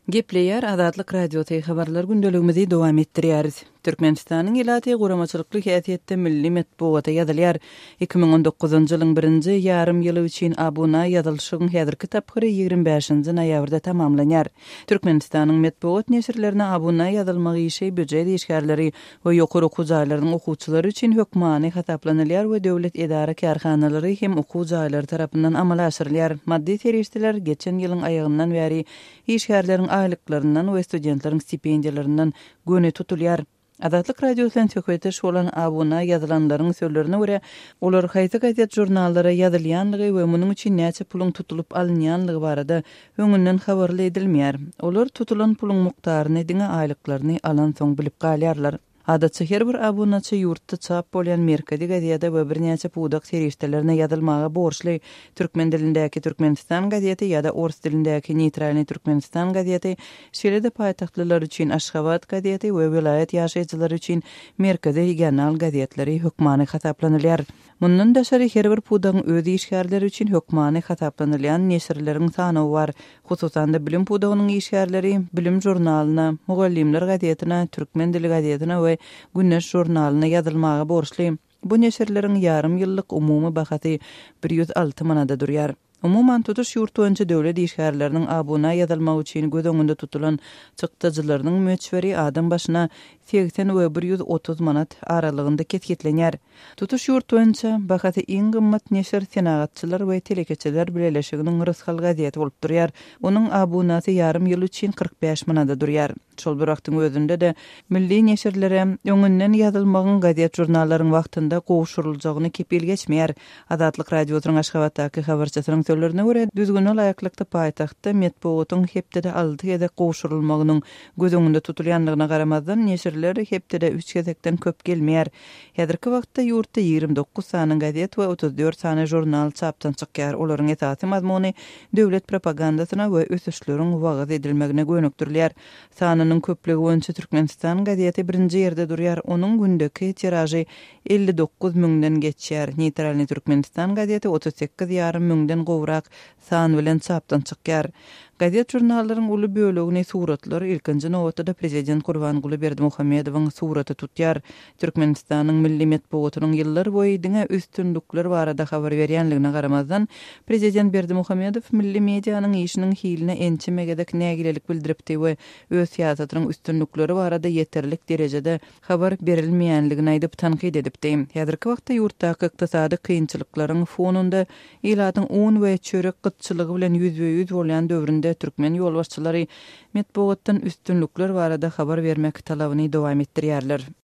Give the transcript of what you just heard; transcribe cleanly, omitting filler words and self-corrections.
Gepleýär Azatlyk Radiosy, Habarlar gündeligimizi dowam etdirýäris. Türkmenistanyň ilaty guramaçylykly häsiýetde milli metbugata ýazylýar. 2019-njy ýylyň birinji ýarym ýyly üçin abuna ýazylyşygyň häzirki tapgyry 25-nji noýabrda tamamlanýar. Türkmenistanyň metbugat neşirlerine abuna ýazylmak işi býujet işgärleri we ýokary okuw jaýlarynyň okuwçylary üçin hökmany hasaplanylýar we döwlet edara-kärhanalary hem okuw jaýlary tarapyndan amala aşyrylýar. Maddy serişdeler geçen ýylyň aýagyndan bäri işgärleriň aýlyklaryndan we studentleriň stipendiýalaryndan göni tutulýar. Azatlyk Radiosy bilen söhbetdeş bolan abuna ýazylanlaryň sözlerine görä, olar haýsy gazet-žurnallara ýazylýanlygy we munuň üçin näçe puluň tutulyp alynýanlygy barada öňünden habarly edilmeýär. Olar tutulan puluň mukdaryny diňe aýlyklaryny alansoň bilip galýarlar. Adatça her bir abunaçy ýurtda çap bolýan merkezi gazete we birnäçe pudak serişdelerine ýazylmaga borçly, türkmen dilindäki Türkmenistan gazeti ýa-da ors dilindäki Neýtralnyý Türkmenistan gazeti, şeýle-de paýtagtlylar üçin Aşgabat gazeti we welaýat ýaşaýjylary üçin Merkezi regional gazetleri hökmany hasaplanylýar. Mundan daşary, her bir pudagyň öz işgärleri üçin hökmany hasaplanylýan neşirleriň sanawy bar. Hususan-da, bilim pudagynyň işgärleri Bilim žurnalyna, Mugallymlar gazetine, Türkmen dili gazetine we Güneş žurnalyna ýazylmaga borçly. Bu neşirleriň ýarym ýyllyk umumy bahasy 106 manada durýar. Umuman, tutuş ýurt boýunça döwlet işgärleriniň abuna ýazylmagy üçin göz öňünde tutulan çykdajylarynyň möçberi adam başyna 80 we 130 manat aralygynda kesgitlenýär. Tutuş ýurt boýunça bahasy iň gymmat neşir Senagatçylar we telekeçiler bileleşiginiň Rysgal gazeti bolup durýar. Onuň abunasy ýarym ýyl üçin 45 manada durýar. Şol bir wagtyň özünde-de, milli neşirlere öňünden ýazylmagyň gazet-žurnallaryň wagtynda gowşuryljagyny kepil geçmeýär. Azatlyk Radiosynyň Aşgabatdaky habarçysynyň sözlerine görä, düzgüne laýyklykda paýtagtda metbugatyň hepdede alty gezek gowşurylmagynyň göz öňünde tutulýandygyna garamazdan, neşirler hepdede üç gezekden köp gelmeýär. Häzirki wagtda ýurtda 29 sany gazet we 34 sany žurnal çapdan çykýar, olaryň esasy mazmuny döwlet propagandasyna we ösüşleriň wagyz edilmegine gönükdirilýär. Sanynyň köplügi boýunça Türkmenistan gazeti birinji ýerde durýar, onuň gündeki tiražy 59 müňden geçýär. Neýtralnyý Türkmenistan gazeti 38 ýarym müňden gowrak san bilen çapdan çykýar. Gazet-žurnallaryň uly bölegini suratlar, ilkinji nobatda-da prezident Gurbanguly Berdimuhamedowyň suraty tutýar. Türkmenistanyň milli metbugatynyň ýyllar boýy diňe üstünlikler barada habar berýänligine garamazdan, prezident Berdimuhamedow milli medianyň işiniň hiline ençeme gezek nägilelik bildiripdi we öz syýasatynyň üstünlikleri barada ýeterlik derejede habar berilmeýänligini aýdyp tankyt edipdi. Häzirki wagtda ýurtdaky ykdysady kynçylyklaryň fonunda ilatyň un we çörek gytçylygy bilen ýüzbe-ýüz bolýan döwründe türkmen ýolbaşçylary metbugatdan üstünlikler barada habar bermek talabyny dowam etdirýärler.